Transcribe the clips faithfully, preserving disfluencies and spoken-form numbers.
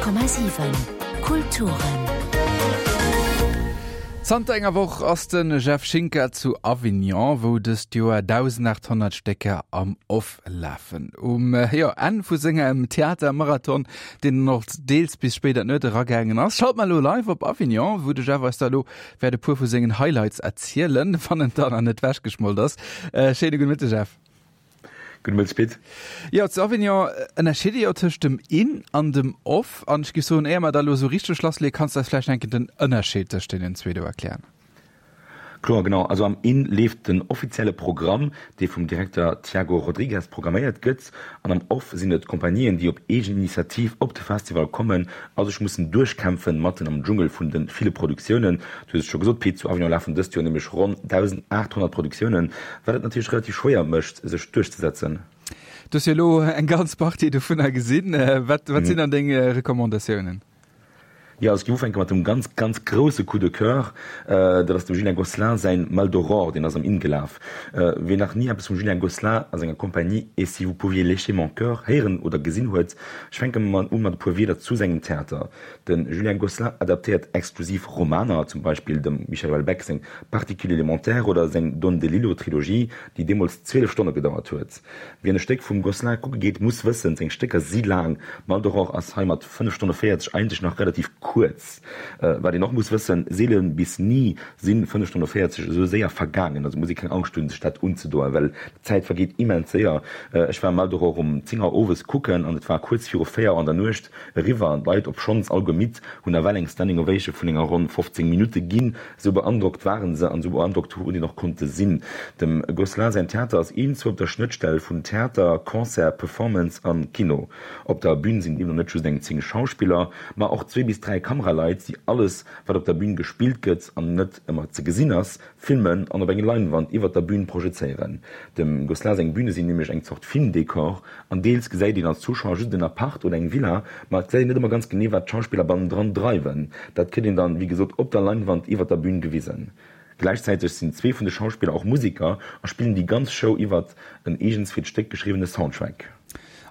Honnert Komma siwen Kulturen. Zanter enger Woch ass de Jeff Schinker zu Avignon, wou dëst Joer dausendachthonnert Stécker am Off lafen. Um jo, Enn vu sengem Theatermarathon, deen och deels bis spéit an d'Nuet eragaangen ass, schalte mer elo live op Avignon, wou de Jeff eis da elo wäert e puer vu sengen Highlights erzielen, wann en dann nach net wechgeschmolt ass. Schéine gudde Mëtteg, Jeff. Gudde Mëtteg, Pit. Jo, zu Avignon ënnerscheet ee jo tëscht dem In an dem Off. An ech géif soen, éier mer da elo esou richteg lassleeën, kanns de eis vläicht eng Kéier den Ënnerscheed tëscht deenen zwee do erklären? Kloer, genau. Also am In leeft den offizielle Programm, dee vum Direkter Tiago Rodrigues programméiert gëtt. An am Off sinn et Compagnien, déi op eegen Initiativ op de Festival kommen a sech mussen duerchkämpfen, matten am Dschungel vun de ville Produktiounen. Du hues et scho gesot, Pit, zu Avignon lafen dëst Joer nämlech ronn dausendachthonnert Produktiounen, wat et natierlech relativ schwéier mécht, sech duerchzesetzen. Du hues jo elo eng ganz Partie dovunner gesinn. Wat sinn dann deng Recommandatiounen? Jo, also ech géif ufänke mat dem ganz, ganz grousse Coup de coeur. Dat ass dem Julien Gosselin säin Maldoror, deen ass am In gelaf. Wien nach ni eppes vum Julien Gosselin a senger Compagnie Et si vous pouviez lécher mon coeur héieren oder gesinn huet, ech fänke mol u mat e puer Wierder zu sengem Theater. De Julien Gosselin adaptéiert exklusiv Romaner, zum Beispill dem Michel Houellebecq seng Particule élémentaire oder seng Don DeLillo-Trilogie, déi deemools zwielef Stonne gedauert huet. Wien e Stéck vum Gosselin kucke geet, muss wëssen, seng Stécker si laang. Maldoror ass hei mat fënnef Stonne véierzeg eigentlech nach relativ kuerz. Wat een och muss wëssen, seele bis ni si fënnef Stonne véierzeg esou séier vergaangen. Also muss ee keng Angscht hunn, sech dat unzedoen, well d'Zäit vergeet immens séier. Ech war Maldoror um zéng Auer owes kucken an et war kuerz viru véier Auer an der Nuecht eriwwer an d'Leit, obschonns alleguer midd, hunn nawell eng Standing Ovation vun enger ronn fofzéng Minutte ginn. Esou beandrockt waren se an esou beandrockt hunn een och konnte sinn. Dem Gosselin säin Theater ass iergendzwou op der Schnëttstell vun Theater, Concert, Performance an Kino. Op der Bühn sinn deemno net just eng zéng Schauspiller, ma och zwee bis dräi Kameraleit, déi alles, wat op der Bühn gespillt gëtt an net ëmmer ze gesinn ass, filmen an op eng Leinwand iwwert der Bühn projezéieren. Dem Gosselin seng Bühne sinn nämlech eng Zort Filmdekor an deels gesäit een als Zuschauer just en Apart oder eng Villa, ma et gesäit een net ëmmer ganz genee, wat d'Schauspiller bannendran dreiwen. Dat kritt een dann, wéi gesot, op der Leinwand iwwert der Bühn gewisen. Gläichzäiteg sinn zwee vun de Schauspiller och Museker a spillen déi ganz Show iwwert en eegens fir d'Stéck geschriwwene Soundtrack.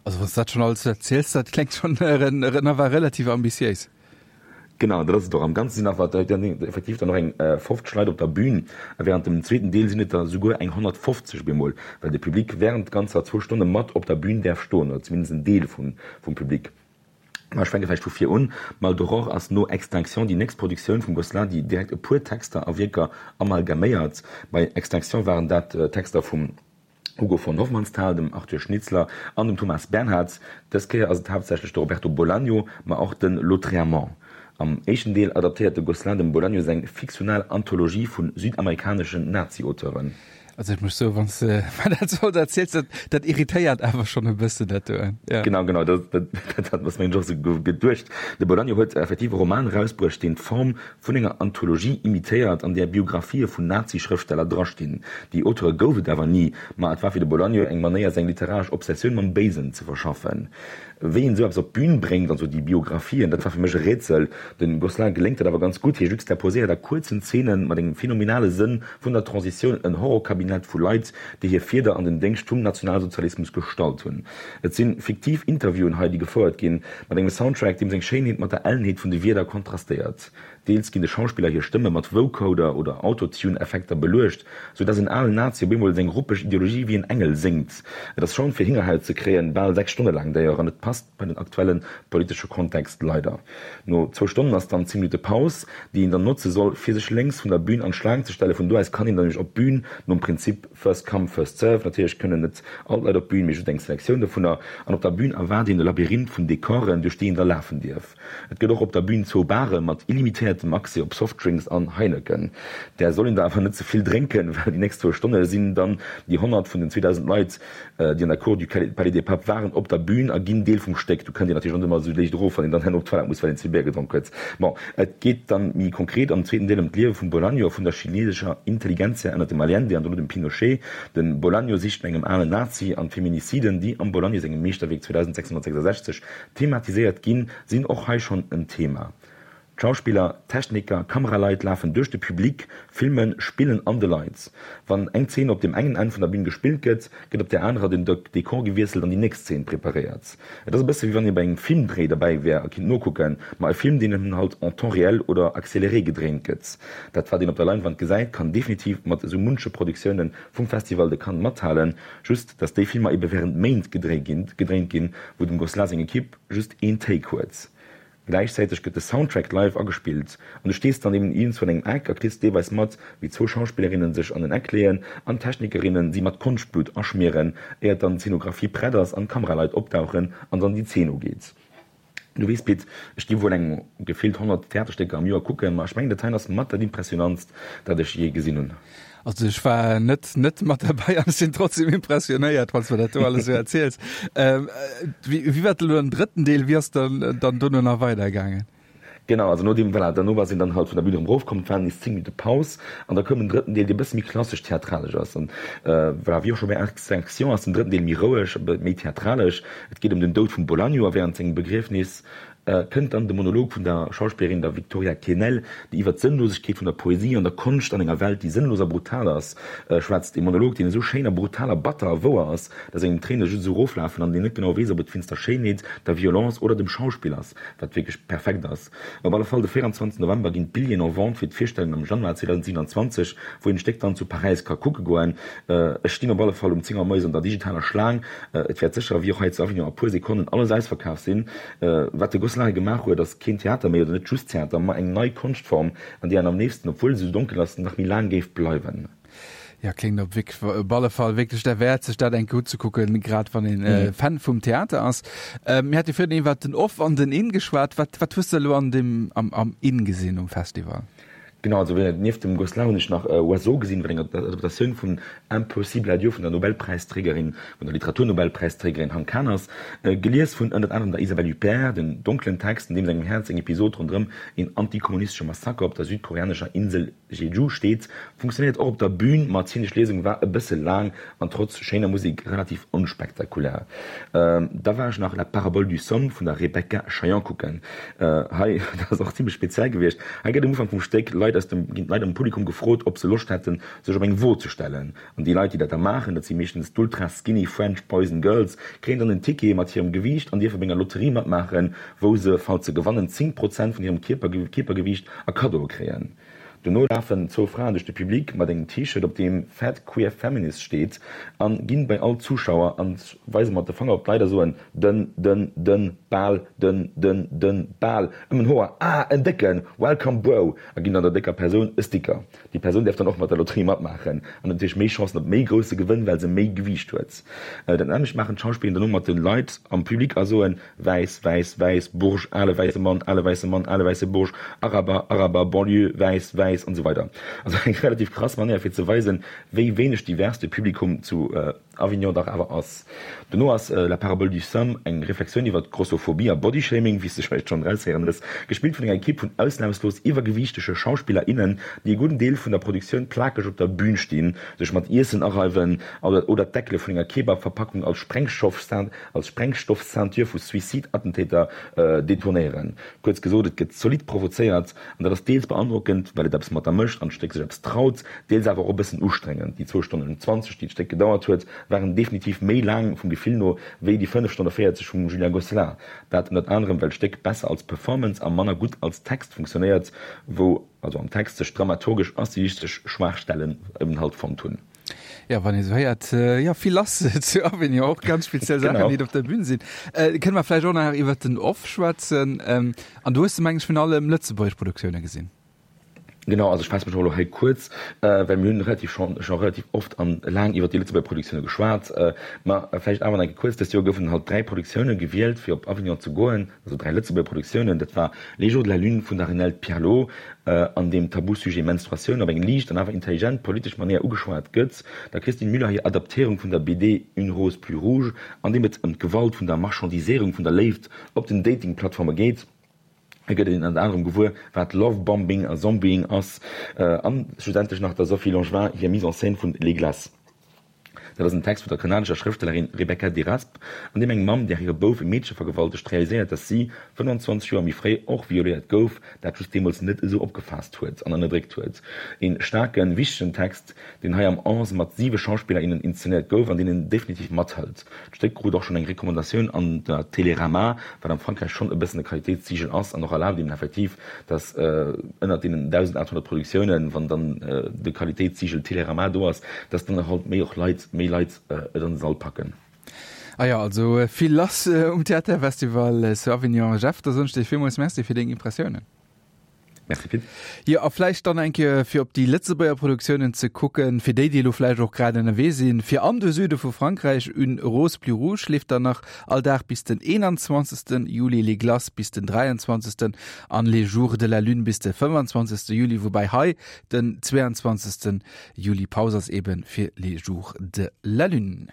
Also wann s de dat schonn alles esou erziels, dat kléngt schonn nawell relativ ambitiéis. Genau, dat ass et och. Am Ganze sinn awer effektiv dann och eng fofzeg Leit op der Bühn a wärend dem zweeten Deel sinn et der souguer eng honnertfofzeg bemol, well de Public wärend ganzer zwou Stonne mat op der Bühn däerf stoen, oder zumindest en Deel vum Public. Ma ech fänke vläicht vu vir un. Maldoror ass no Extinction déi nächst Produktioun vum Gosselin, déi direkt e puer Texter a Wierker amalgaméiert. Bei Extinction waren dat Texter vum Hugo von Hofmannsthal, dem Arthur Schnitzler an dem Thomas Bernhard. Dës Kéier ass et haaptsächlech de Roberto Bolaño, ma och de Lautréamont. Am éischten Deel adaptéiert de Gosselin dem Bolaño seng fiktional Anthologie vu südamerikaneschen Nazi-Auteuren. Also ech muss soen, wann s de mer dat sou erziels, dat, dat irritéiert awer schonn e bëssen dat do. Ja. Genau, genau, dat, dat, dat hat mer och sou geduecht. De Bolaño huet effektiv e Roman erausbruecht, deen d'Form vun enger Anthologie imitéiert, an där Biographië vun Nazi-Schrëftsteller drastinn. Déi Auteure gouf et awer ni, ma et war fir de Bolaño eng Manéier, seng literaresch Obsessioun mam Béisen ze verschaffen. Wéi een esou eppes op d'Bün bréngt, also déi Biographien, dat war fir mech e Rätsel. Dem Gosselin geléngt dat awer ganz gutt, hie juxtaposéiert a kuerzen Zeenen mat engem phenomenale Sënn vun der Transitioun en Horrorkabinett vu Leit, déi hir Fieder an den Déngscht vum Nationalsozialismus gestallt hunn. Et si fiktiv Interviewen hei, déi gefouert ginn, mat engem Soundtrack, deem seng Schéinheet mat der Ellenheet vun de Wierder kontrastéiert. Deels ginn de Schauspiller hir Stëmme mat Vocoder oder Autotune-Effekter beluecht, sou dass en alen Nazi op eemol seng ruppeg Ideologie wéi en Engel séngt. Et ass schonn fir Hingerhaut ze kréien, bal sechs Stonne laang d'ailleurs, an et passt bei den aktuelle politesche Kontext, leider. No zwou Stonnen ass dann zéng Minutte Paus, déi een dann notze soll, fir sech lénks vun der Bün an d'Schlaang ze stellen. Vun do aus kann een dann nämlech op d'Bün, nom Prinzip first come, first serve. Natierlech kënnen net all d'Leit op d'Bün, mee just eng Selektioun dovunner. An op der Bün erwaart een e Labyrinth vun Dekoren, duerch déi een da lafen dierf. Et gëtt och op der Bühn zwou Bare mat illimitéiertem Accès op Softdrinks an Heineken. Där soll een der awer net ze vill drénken, well déi nächst zwou Stonne sinn dann déi honnert vun den zweedausend Leit, déi an der Cour du Palais des Papes waren, op der Bühn a ginn Deel vum Stéck. Do kënnt een natierlech och net ëmmer esou léicht erof, wann een dann herno op d'Toilette muss, well een ze vill Béier gedronk huet. Bon, et geet dann méi konkret am zweeten Deel ëm d'Liewe vum Bolaño a vun der chileesescher Intelligentsia ënnert dem Allende an dono dem Pinochet. De Bolaño sicht no engem alen Nazi an d'Feminiciden, déi am Bolaño sengem Meeschterwierk zweedausendsechshonnertsechsasechzeg thematiséiert ginn, sinn och hei schonn en Thema. D'Schauspiller, Techniker, Kameraleit lafen duerch de Public, filmen, spillen an de Leit. Wann eng Zeen op deem engen Enn vun der Bün gespillt gëtt, gëtt op där anerer den Dekor gewiesselt an déi nächst Zeen preparéiert. Et ass e bësse wéi wann ee bei engem Filmdréi derbäi wär a kinnt nokucken, ma e Film, deen eben halt en temps réel oder accéléré gedréint gëtt. Dat wat een op der Leinwand gesäit, kann definitiv mat esou munche Produktioune vum Festival de Cannes mathalen, just datt déi Filmer ebe wärend Méint gedréint ginn, wou dem Gosselin seng Ekipp just een Take huet. Gläichzäiteg gëtt de Soundtrack live agespillt an du stees dann eben iergendzwou an engem Eck a kriss deelweis mat, wéi zwou Schauspillerinnen sech an en Eck leeën an d'Technikerinnen si mat Konschtblut aschmieren, éiert dann d'Zeenografie prett ass an d'Kameraleit opdauchen an dann déi Zeen ugeet. Du weess Pit, ech gi wuel eng gefillt honnert Theaterstécker am Joer kucken, ma ech mengen dat heien ass mat dat impressionantst, dat ech jee gesinn hunn. Also ech war net net mat derbäi an ech sinn trotzdem impressionéiert, wann s du mir dat do alles esou erziels. Ähm, wéi, wéi war elo den drëtten Deel? Wéi ass dann dann dono nach weidergaangen? Genau, also no deem, voilà, derno war sinn dann halt vun der Bühn erëm erofkomm, et war nees zéng Minutte Paus an da koum en drëtten Deel, dee bësse méi klassesch theatralesch ass. An voilà, wéi och scho bei Extinction ass den drëtten Deel méi roueg, méi theatralesch. Et geet ëm den Doud vum Bolaño a wärend sengem Begriefnis kënnt dann de Monolog vun der Schauspillerin, der Victoria Kenel, déi iwwer d'Sënnlosegkeet vun der Poesie an der Konscht an enger Welt, déi sënnlos a brutal ass, schwätzt. Ee Monolog, deen esou schéin a brutal a batter a wouer ass, dass engem d'Tréine just esou eroflafen an een net genau weess, ob et wéinst der Schéinheet, der Violence oder dem Schauspill ass, wat wierklech perfekt ass. Op alle Fall, de véierundzwanzegsten November ginn d'Billjeeën en vente fir d'Virstellung am Januar zweedausendsiewenundzwanzeg, wou een d'Stéck dann zu Paräis ka kucke goen. Ech stinn op alle Fall um zéng Auer moies an der digitaler Schlaang. Et wäert sécher, wéi och hei zu Avignon, a puer Sekonnen alles ausverkaf sinn. Wat de Gosselin hei gemaach huet, ass keen Theater méi, oder net just Theater, ma eng nei Konschtform, an déi een am léifsten, obwuel se esou donkel ass, nach méi laang géif bleiwen. Jo, kléngt op op alle Fall wierklech derwäert, sech dat eng Kéier uzekucken, grad wann een Fan vum Theater ass. Mir hate virun iwwert den Off an den In geschwat. Wat, wat hues de elo an dem, am, am In gesinn um Festival? Genau, also nieft dem Gosselin hunn ech nach Oiseau gesinn, wat eng Adaptatioun vun Impossible à Dieu vun der Nobelpräisträgerin, vun der Literaturnobelpräisträgerin Han Kang ass, gelies vun ënnert anerem der Isabelle Huppert. Den donklen Text, an deem sengem Häerz eng Episod ronderëm een antikommunistesche Massaker op der südkoreanescher Insel Jeju steet, funktionéiert och op der Bühn, ma d'zeenesch Liesung war e bësse laang an trotz schéiner Musek relativ onspektakulär. Da war ech nach La parabole du somme vun der Rebecca Chaillon kucken. Hei, dat ass och zimlech speziell gewiescht, hei gëtt um Ufank vum Stéck Leit aus dem, ginn d'Leit am Publikum gefrot, ob se Loscht hätten, sech op eng Wo ze stellen. An déi Leit, déi dat da maachen, dat si meeschtens d'ultra skinny French boys and girls, kréien dann en Ticket mat hirem Gewiicht an dierfe bei enger Lotterie matmaachen, wou se, falls se gewannen, zéng Prozent vun hirem Kierpergewiicht a Kaddoe kréien. Dono lafen zwou Fraen duerch de Public mat engem T-Shirt, op deem Fat Queer Feminist steet, a ginn bei all Zuschauer an weise mat de Fanger op d'Leit a soen, Dënn, dënn, dënn, bal, dënn, dënn, dënn, bal, ëm en Hoer, ah, en décken, welcome bro! a ginn dann der décker Persoun e Sticker. Déi Persoun däerf dann och mat der Lotterie matmaachen an huet natierlech méi Chancen op méi grousse Gewënn, well se méi Gewiicht huet. Dat nämmlecht maachen d'Schauspillerinnen dono mat de Leit am Public a soen, Wäiss, wäiss, wäiss, Bourge, ale wäisse Mann, ale wäisse Mann, ale wäisse Bourge, Araber, Araber, Banlieue, wäiss, wäiss an esou weider. Also eng relativ krass Manéier fir ze weisen, wéi wéineg divers de Publikum zu Avignon dach awer ass. Dono ass La parabole du somme eng Reflexioun iwwer Grossophobie a Bodyshaming, wéi s de vläicht schonn eraushéieren hues, gespillt vun enger Ekipp vun ausnamslos iwwergewiichtege Schauspiller, innen, déi e gudden Deel vun der Produktioun plakeg op der Bün stinn, sech mat Iessen areiwen oder d'Deckele vun enger Kebab-Verpackung als Sprengstoff-Ceinture vu Suicide-Attentäter detonéieren. Kuerz gesot, et gëtt zolidd provozéiert an dat ass deels beandrockend, well et eppes mat der mécht an d'Stéck sech eppes traut, deels awer och e bëssen ustrengend. Déi zwou Stonnen an zwanzeg, déi d'Stéck gedauert huet, waren definitiv méi laang vum Gefill no wéi déi fënnef Stonne véierzeg vum Julien Gosselin. Dat ënnert anerem, well d'Stéck besser als Performance a manner gutt als Text funktionéiert, wou also am Text sech dramaturgesch a stilistesch Schwaachstellen eben halt fonnt hunn. Ja, wann ee sou héiert, jo, vill lass zu Avignon, och ganz speziell Saachen, déi op der Bühn sinn. Kënne mer vläicht och nach iwwert den Off schwätzen? An do hues de, meng ech, virun allem lëtzebuergesch Produktioune gesinn. Genau, also ech faasse mech och elo hei kuerz, well mir hunn relativ schonn scho relativ oft an laang iwwert déi Lëtzebuerger Produktioune geschwat. Ma vläicht awer nach eng Kéier kuerz, Dëst Joer goufen halt dräi Produktioune gewielt, fir op Avignon ze goen, also dräi Lëtzebuerger Produktiounen. Dat war Les jours de la lune vun der Renelde Pierlot, an deem d'Tabusujet Menstruatioun op eng liicht an awer intelligent politesch Manéier ugeschwat gëtt, der Christine Müller hir Adaptéierung vun der B D Une rose plus rouge, an deem et ëm d'Gewalt vun der Marchandiséierung vun der Léift op den Dating-Plattforme geet. Hei gëtt een ënnert anerem gewuer, wat Love-Bombing a Zombieing ass, an schlussendlech nach der Sophie Langevin hir Mise en scène vun Les Glaces. Dat ass en Text vun der kanadescher Schrëftstellerin Rebecca Deraspe, an deem eng Mamm, där hire Bouf e Meedche vergewaltegt, realiséiert, dass si fënnwanzwanzeg Joer méi fréi och violéiert gouf, dat just deemools net esou opgefaasst huet an ënnerdréckt huet. E staarken, wichtegen Text, deen hei am Ans mat siwe Schauspiller, innen inszenéiert gouf an deen een definitiv mathëlt. D'Stéck krut och schonn eng Recommandatioun an der Télérama, wat am Frankräich schonn e bëssen e Qualitéitszigel ass an och erlaabt eben effektiv, dass ënnert deenen dausendachthonnert Produktiounen, wann dann de Qualitéitszigel Télérama do ass, dass dann och halt méi och Leit, méi Leit et an de Sall packen. Ah jo, also vill lass um Theaterfestival zu Avignon. Jeff, da soen ech dir villmools Merci fir deng Impressiounen. Merci Pit. Jo, a vläicht dann eng Kéier fir op déi Lëtzebuerger Produktiounen ze kucken, fir déi, déi elo vläicht och grad ënnerwee sinn, fir an de Süde vu Frankräich, Une rose plus rouge leeft dann nach all Dag bis den eenanzwanzegsten Juli, Les Glaces bis den dräianzwanzegsten an Les jours de la lune bis de fënfanzwanzegste Juli, woubäi hei den zweeanzwanzegsten Juli Paus ass eben fir Les jours de la lune.